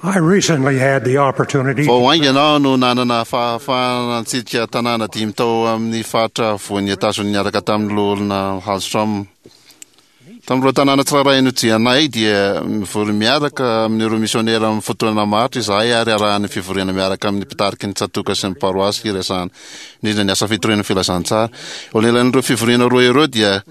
I recently had the opportunity Vao haingana aho no nanana fahafahana nitsidika tanàna dimy tao amin'ny faritra afovoan'i Etazonia niaraka tamin'ny Loholona Hallstrom. Tamin'ireo tanàna tsirairay nodianay dia mivory miaraka amin'ireo misionera amin'ny fotoana maharitra izahay ary arahan'ny fivoriana miaraka amin'ny mpitariky ny tsatòka sy ny paroasy hiresahana indrindra ny asa fitoriana ny filazantsara. Eo anelan'ireo fivoriana roa ireo dia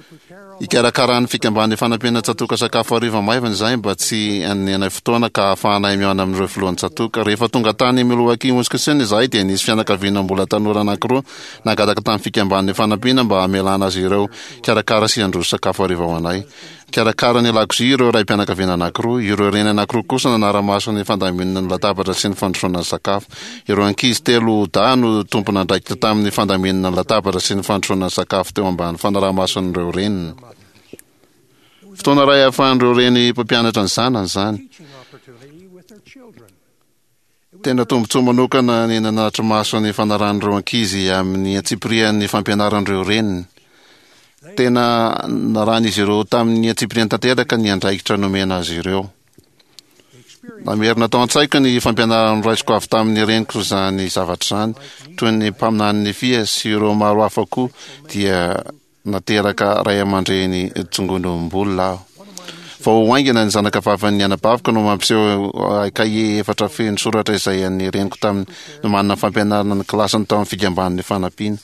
Ikarakaran'ny fikamban'ny fanampiana tsatòka sakafo hariva maivana izahay mba tsy hanenay fotoana ka hahafahanay mihaona amin'ireo filohan'ny tsatòka. Rehefa tonga tany Milwaukee, Wisconsin izahay dia nisy fianakaviana mbola tanora anankiroa nangataka tamin'ny fikamban'ny fanampiana mba hamelana azy ireo hikarakara sy handroso sakafo hariva ho anay. Nikarakara ny lakozia ireo raim-pianakaviana anankiroa. Ireo reny anankiroa kosa nanara-maso ny fandaminana ny latabatra sy ny fandrosoana ny sakafo. Ireo ankizy telo dahy no tompon'andraikitra tamin'ny fandaminana ny latabatra sy ny fandrosoana ny sakafo teo ambany fanaraha-mason'ireo reniny. Fotoana iray ahafahan'ireo reny mpampianatra ny zanany izany. Tena tombontsoa manokana ny nanatri-maso ny fanarahan'ireo ankizy amin'ny antsipirian'ny fampianaran'ireo reniny. Tena narahan'izy ireo tamin'ny antsipiriany tanteraka ny andraikitra nomena azy ireo. Namerina tao an-tsaiko ny fampianarana noraisiko avy tamin'ny reniko izany zavatra izany. Toy ny mpaminany Nefia sy ireo maro hafa koa dia nateraka ray aman-dreny tsongonom-bolona aho. Vao haingana ny zanakavavin'ny anabaviko no mampiseho ahy kahie efatra feno soratra izay an'ny reniko tamin'ny nomanina fampianarana ny kilasiny tao amin'ny fikamban'ny fanampiana.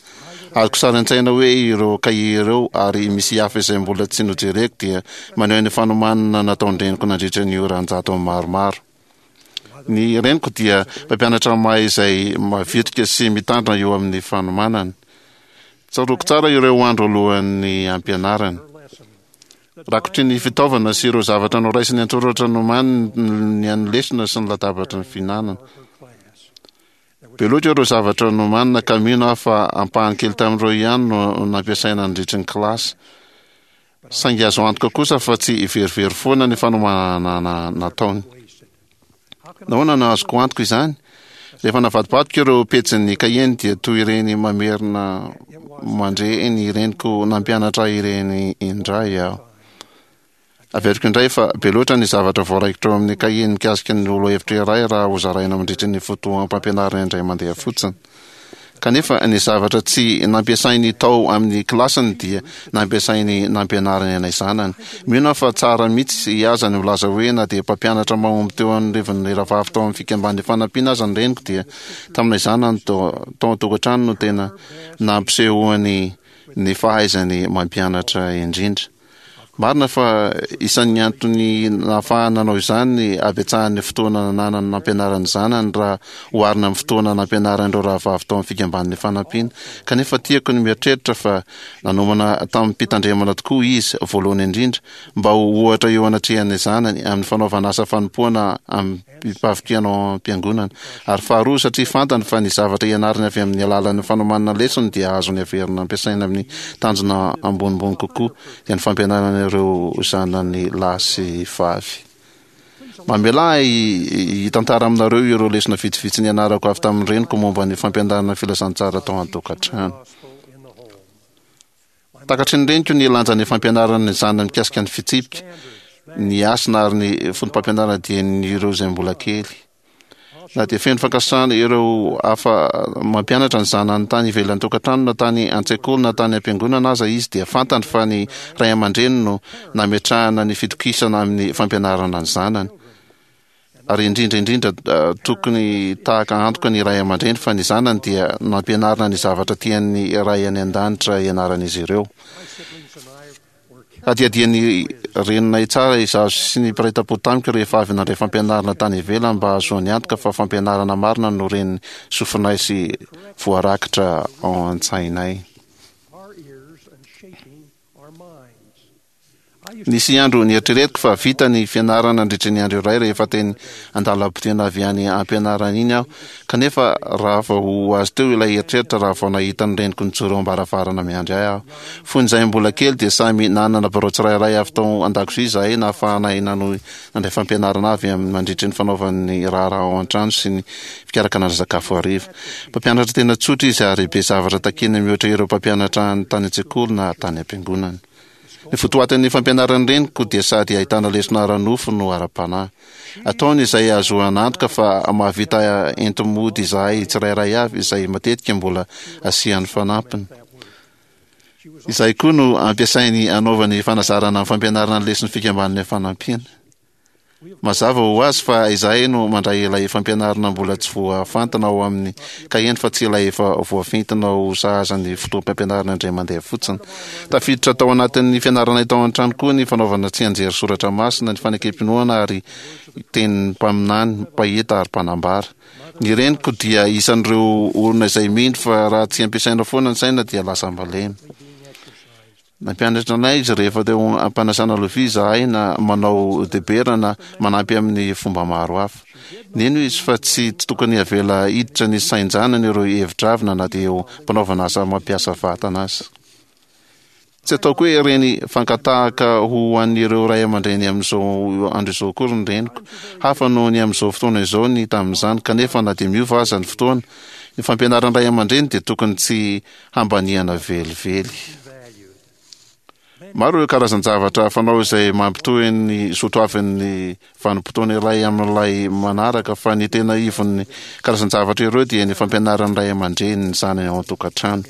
Azoko sary an-tsaina hoe ireo kahie ireo ary misy hafa izay mbola tsy nojereko dia maneho ny fanomanana nataon-dreniko nandritra ny ora an-jatony maromaro. Ny reniko dia mpampianatra mahay izay mavitrika sy mitandrina eo amin'ny fanomanana. Tsaroako tsara ireo andro alohan'ny hampianarany. Rakotry ny fitaovana sy ireo zavatra noraisiny an-tsoratra nomaniny ny an'ny lesona sy ny latabatry ny fihinanana. Be loatra ireo zavatra nomanina ka mino aho fa ampahany kely tamin'ireo ihany no nampiasaina nandritry ny kilasy. Saingy azo antoka kosa fa tsy verivery foana ny fanomanana nataony. Nahoana no azoko antoka izany? Rehefa navadibadiko ireo pejin'ny kahieny dia toy ireny mamerina mandre ny reniko nampianatra ahy ireny indray aho. Averiko indray fa be loatra ny zavatra voaraikitra ao amin'ny kahie mikasika ny lohahevitra iray raha hozaraina mandritra ny fotoam-pampianarana indray mandeha fotsiny. Kanefa ny zavatra tsy nampiasainy tao amin'ny kilasiny dia nampiasainy nampianariny anay zanany. Mino aho fa tsara mihitsy aza ny milaza hoe na dia mpampianatra mahomby teo anivon'ny rahavavy tao amin'ny fikamban'ny fanampiana aza ny reniko dia taminay zanany tao an-tokantrano no tena nampisehoany ny fahaizany mampianatra indrindra. Marina fa isan'ny antony nahafahany nanao izany ny habetsahan'ny fotoana nananany nampianarany ny zanany raha oharina amin'ny fotoana nampianarany ireo rahavavy tao amin'ny Fikambanan'ny Fanampiana. Kanefa tiako ny mieritreritra fa nanomana tamim-pitandremana tokoa izy, voalohany indrindra, mba ho ohatra eo anatrehan'ny zanany amin'ny fanaovana asa fanompoana am-pavitrihana ao am-piangonana. Ary faharoa, satria fantany fa ny zavatra ianarany avy amin'ny alalan'ny fanomanana lesona dia azony averina ampiasaina amin'ny tanjona ambonimbony kokoa, dia ny fampianarana ireo zanany lahy sy vavy. Mamelà ahy hitantara aminareo ireo lesona vitsivitsy nianarako avy tamin'ny reniko momba ny fampianarana ny filazantsara tao an-tokantrano. Takatry ny reniko ny lanjan'ny fampianarana ny zanany mikasika ny fitsipika, ny hasina ary ny foto-pampianarana dieny ireo izay mbola kely. Na dia feno fankasitrahana ireo hafa mampianatra ny zanany tany ivelan'ny tokantrano na tany an-tsekoly na tany am-piangonana aza izy dia fantany fa ny ray aman-dreny no nametrahana ny fitokisana amin'ny fampianarana ny zanany. Ary indrindra indrindra tokony tahaka antoka ny ray aman-dreny fa ny zanany dia nampianarina ny zavatra tian'ny Ray any An-danitra hianaran'izy ireo. Hadihadian'ny reninay tsara izaho sy ny mpiray tampo tamiko rehefa avy nandray fampianarana tany ivelany mba hahazoany antoka fa fampianarana marina no ren'ny sofinay sy voarakitra ao an-tsainay. Nisy andro nieritreretiko fa vita ny fianarana nandritra ny andro iray rehefa teny an-dalam-potena avy any am-pianarana iny aho, kanefa raha vao ho azy teo ilay eritreritra raha vao nahita ny reniko nijoro eo am-baravarana miandry ahy aho. Fony izahay mbola kely dia samy nanana birao tsirairay avy tao an-dakozia izahay nahafahanay nanohy nandray fampianarana avy amin'ny mandritry ny fanaovan'ny raharaha ao an-trano sy ny fikarakarana sakafo hariva. Mpampianatra tena tsotra izy ary be zavatra takiana mihoatra ireo mpampianatra tany an-tsekoly na tany am-piangonana. Ny votoatin'ny fampianaran'ny reniko dia sady ahitana lesona ara-nofo no ara-panahy. Ataony izay ahazoana antoka fa mahavita enti-mody izahay tsirairay avy izay matetika mbola asiany fanampiny. Izay koa no ampiasainy hanaovany fanazarana amin'ny fampianarana ny leson'ny Fikambanana Fanampiana. Mazava ho azy fa izahay no mandray ilay fampianarana mbola tsy voafantina ao amin'ny kaheny fa tsy ilay efa voafintina ho sahaza ny fotoam-pampianarana indray mandeha fotsiny. Tafiditra tao anatin'ny fianaranay tao an-trano koa ny fanaovana tsianjery soratra masina, ny fanekem-pinoana ary tenin'ny mpaminany, mpahita ary mpanambara. Ny reniko dia isan'ireo olona izay mino fa raha tsy ampiasaina foana ny saina dia lasa malemy. Nampianatra anay izy rehefa teo am-panasana lovia izahay na manao debera na manampy amin'ny fomba maro hafa. Nino izy fa tsy tokony havela hiditra ny sain-janany ireo hevi-dravina na dia eo am-panaovana asa mampiasa vatana aza. Tsy ataoko hoe reny fankatahaka ho an'ireo ray aman-dreny amin'izao andro izao akory ny reniko. Hafa noho ny amin'izao fotoana izao ny tamin'izany, kanefa na dia miova aza ny fotoana, ny fampianaran'ny ray aman-dreny dia tokony tsy hambaniana velively. Maro ireo karazan-javatra fanao izay mampitohy ny soatoavin'ny vanim-potoana iray amin'ilay manaraka, fa ny tena ivon'ny karazan-javatra ireo dia ny fampianaran'ny ray aman-dreny ny zanany ao an-tokantrano.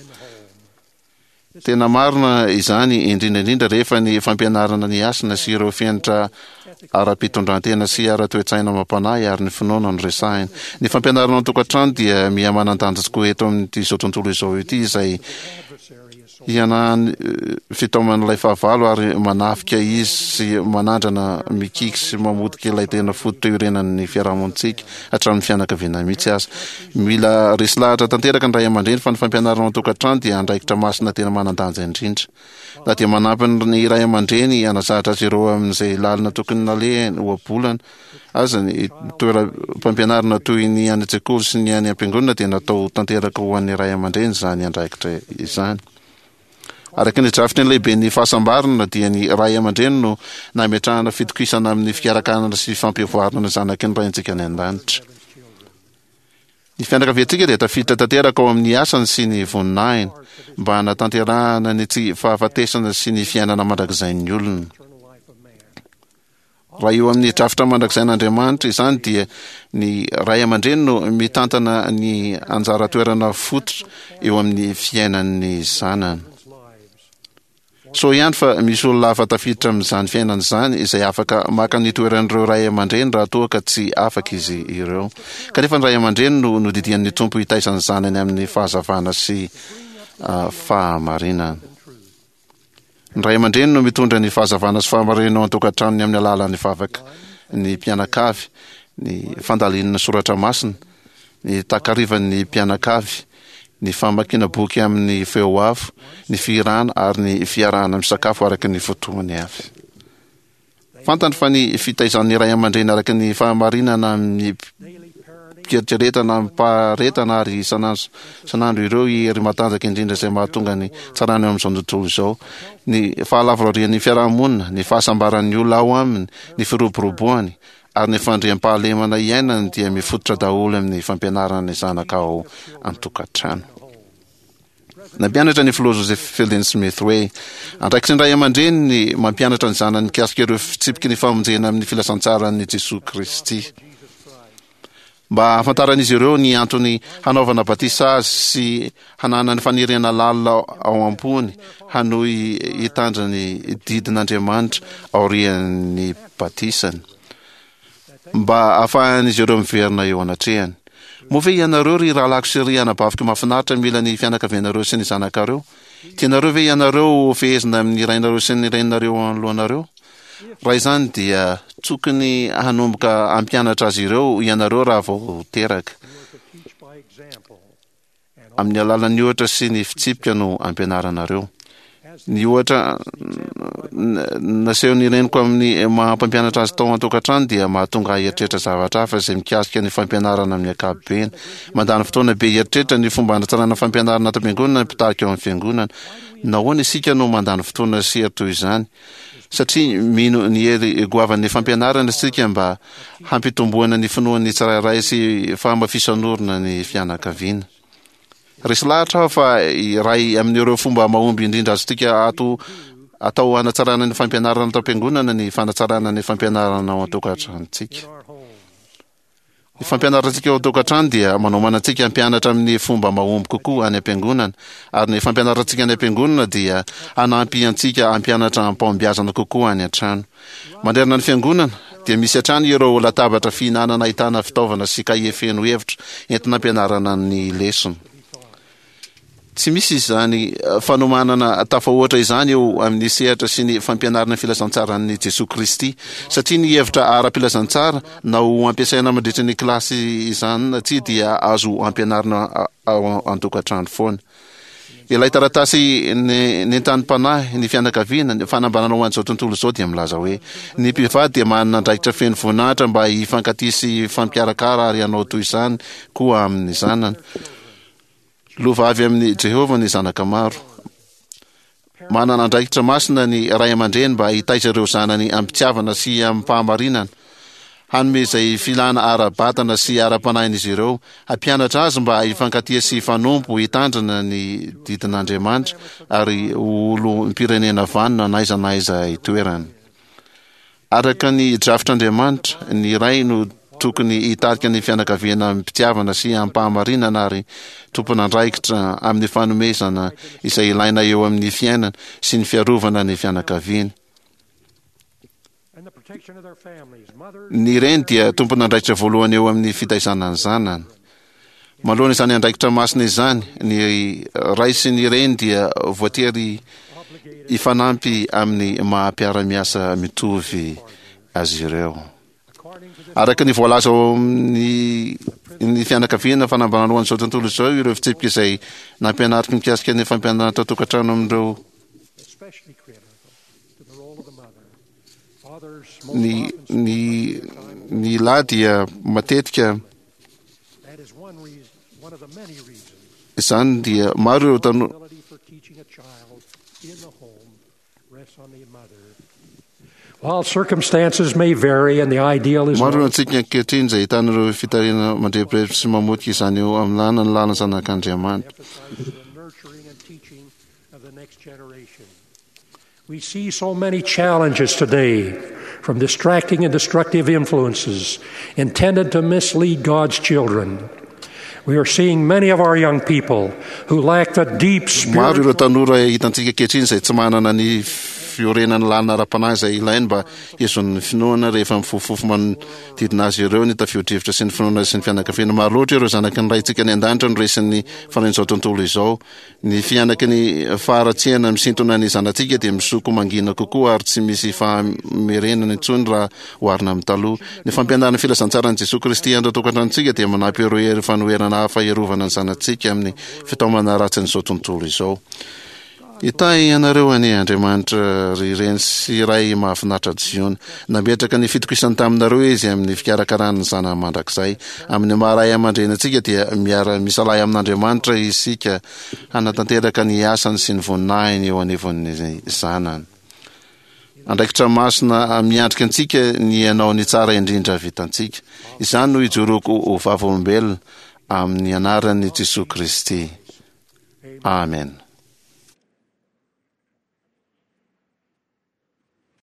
Tena marina izany indrindra indrindra rehefa ny fampianarana ny hasina sy ireo fenitra ara-pitondrantena sy ara-toe-tsaina amam-panahy ary ny finoana no resahina. Ny fampianarana an-tokantrano dia miha-manan-danja tokoa eto amin'ity izao tontolo izao ity izay hianahan'ny fitaoman'ilay fahavalo ary manafika izy sy manandrana mikiky sy mamotika ilay tena fototra iorenan'ny fiarahamonintsika hatramin'ny fianakaviana mihitsy aza. Mila resy lahatra tanteraka ny ray aman-dreny fa ny fampianarana ao an-tokantrano dia andraikitra masina tena manan-danja indrindra. Na dia manampy ny ray aman-dreny hanazatra azy ireo amin'izay lalana tokony nalehany ohabolana aza ny toeram-pampianarana toy ny any an-tsekoly sy ny any am-piangonana dia natao tanteraka ho an'ny ray aman-dreny izany andraikitra izany. Araka ny drafitry ny lehiben'ny fahasambarana dia ny ray aman-dreny no nametrahana fitokisana amin'ny fikarakarana sy fampivoarana ny zanaky ny Raintsika any an-danitra. Ny fianakaviantsika dia tafiditra tanteraka ao amin'ny asany sy ny voninahiny, mba hanatanterahana ny tsy fahafatesana sy ny fiainana mandrakizain'ny olona. Raha eo amin'ny drafitra mandrakizain'Andriamanitra izany dia ny ray aman-dreny no mitantana ny anjara toerana fototra eo amin'ny fiainan'ny zanany. Soa ihany fa misy olona hafa tafiditra amin'izany fiainana izany izay afaka maka ny toeran'ireo ray aman-dreny raha toa ka tsy afaka izy ireo. Kanefa ny ray aman-dreny no nodidian'ny Tompo hitaiza ny zanany amin'ny fahazavana sy fahamarinana. Ny ray aman-dreny no mitondra ny fahazavana sy fahamarinana ao an-tokantranony amin'ny alalan'ny vavaka ny mpianakavy, ny fandalinana soratra masina, ny takarivan'ny mpianakavy, ny famakiana boky amin'ny feo avo, ny fihirana ary ny fiarahana misakafo araka ny fotoany avy. Fantany fa ny fitaizan'ny ray aman-dreny araka ny fahamarinana amim-pieritreretana amim-paharetana ary isan'andro isan'andro ireo hery matanjaka indrindra izay mahatonga ny tsarana eo amin'izao tontolo izao, ny fahalavorarian'ny fiarahamonina, ny fahasambaran'ny olona ao aminy, ny firoboroboany, Ary ny fandriampahalemana iainany dia mifototra daholo amin'ny fampianarana ny zanaka ao an-tokantrano. Nampianatra ny filoha Joseph Fielding Smith hoe, Andraikitry ny ray aman-dreny ny mampianatra ny zanany mikasika ireo fitsipiky ny famonjena amin'ny filazantsaran'i Jesoa Kristy. Mba hahafantaran'izy ireo ny antony hanaovana batisa azy sy hananany faniriana lalina ao am-pony hanohy hitandrina ny didin'Andriamanitra aorian'ny batisany, mba hahafahan'izy ireo miverina eo anatrehany. Moa ve ianareo, ry rahalahiko sy ry anabaviko mahafinaritra, mila ny fianakavianareo sy ny zanakareo? Tianareo ve ianareo ho fehezina amin'ny rainareo sy ny reninareo eo anoloanareo? Raha izany dia tokony hanomboka hampianatra azy ireo ianareo raha vao teraka. Amin'ny alalan'ny ohatra sy ny fitsipika no ampianaranareo. Ny ohatra nasehon'ny reniko amin'ny maha mpampianatra azy tao an-tokantrano dia mahatonga ahy hieritreritra zavatra hafa izay mikasika ny fampianarana amin'ny ankapobeny. Mandany fotoana be hieritreritra ny fomba hanatsarana fampianarana ato am-piangonana ny mpitarika ao amin'ny fiangonana. Nahoana isika no mandany fotoana sy hery toy izany? Satria mino ny hery goavan'ny fampianarana isika mba hampitomboana ny finoan'ny tsirairay sy fahamafisan'orina ny fianakaviana. Resy lahatra aho fa iray amin'ireo fomba mahomby indrindra azontsika ato atao hanatsarana ny fampianarana ato am-piangonana ny fanatsarana ny fampianarana ao an-tokantranontsika. Ny fampianarantsika ao an-tokantrano dia manomana antsika hampianatra amin'ny fomba mahomby kokoa any am-piangonana, ary ny fampianarantsika any am-piangonana dia hanampy antsika hampianatra amim-pahombiazana kokoa any an-trano. Manerana ny fiangonana dia misy hatrany ireo latabatra fihinanana ahitana fitaovana sy kahie feno hevitra entina ampianarana ny lesona. Tsy misy izany fanomanana tafahoatra izany eo amin'ny sehatra sy ny fampianarana ny filazantsaran'i Jesoa Kristy, satria ny hevitra ara-pilazantsara na ho ampiasaina mandritra ny kilasy izany na tsia dia azo ampianarina ao an-tokantrano foana. Ilay taratasy nentanim-panahy ny fianakaviana, ny fanambarana ho an'izao tontolo izao dia milaza hoe, Ny mpivady dia manana andraikitra feno voninahitra mba hifankatia sy hifampikarakara ary hanao toy izany koa amin'ny zanany. Lova avy amin'i Jehovah ny zanaka maro. Manana andraikitra masina ny ray aman-dreny mba hitaiza ireo zanany amim-pitiavana sy amim-pahamarinana, hanome izay filana ara-batana sy ara-panahin'izy ireo, hampianatra azy mba hifankatia sy hifanompo, hitandrina ny didin'Andriamanitra, ary ho olom-pirenena vanona n'aiza n'aiza itoerany. Araka ny drafitr'Andriamanitra, ny ray no tokony hitarika ny fianakaviana amim-pitiavana sy amim-pahamarinana ary tompon'andraikitra amin'ny fanomezana izay ilaina eo amin'ny fiainana sy ny fiarovana ny fianakaviany. Ny reny dia tompon'andraikitra voalohany eo amin'ny fitaizana ny zanany. Manoloana izany andraikitra masina izany, ny ray sy ny reny dia voatery hifanampy amin'ny maha mpiara-miasa mitovy azy ireo. Araka ny voalaza ao amin'ny ny fianakaviana fanambarana ho an'izao tontolo izao ireo fitsipika izay nampianariko mikasika ny fampianarana tao an-tokantrano amin'ireo ny ny ny lahy dia matetika Izany dia maro ireo tanora. Maro ireo antsika ankehitriny izay ahitana ireo fitarihana mandrebireby sy mamotika izany eo amin'ny lana ny lana zanak'Andriamanitra. We see so many challenges today from distracting and destructive influences intended to mislead God's children. We are seeing many of our young people who lack the deep Maro ireo spiritual tanora hitantsika ankehitriny izay tsy manana ny fiorenan'ny lalina ara-panahy izay ilainy mba hihazonany ny finoana rehefa mifofofofo manodidina azy ireo ny tafio-drivotra sy ny finoana sy ny fianakaviana. Maro loatra ireo zanaky ny Raintsika any an-danitra no resin'ny fanahin'izao tontolo izao. Ny fihanaky ny faharatsiana misintona ny zanatsika dia misoko mangina kokoa ary tsy misy fahamerenana intsony raha oharina amin'ny taloha. Ny fampianaran'ny filazantsaran'i Jesoa Kristy any an-tokantranontsika dia manampy ireo hery fanoherana hafa hiarovana ny zanatsika amin'ny fitaomana ratsin'izao tontolo izao. Hitahy anareo anie Andriamanitra ry reny sy ray mahafinaritra Ziona. Nametraka ny fitokisany taminareo Izy amin'ny fikarakarany ny zanany mandrakizay. Amin'ny maha ray aman-dreny antsika dia miara-misalahy amin'Andriamanitra isika hanatanteraka ny asany sy ny voninahiny eo anivon'ny zanany. Andraikitra masina miandrika antsika ny hanao ny tsara indrindra vitantsika. Izany no ijoroako ho vavolombelona amin'ny anaran'i Jesoa Kristy. Amen.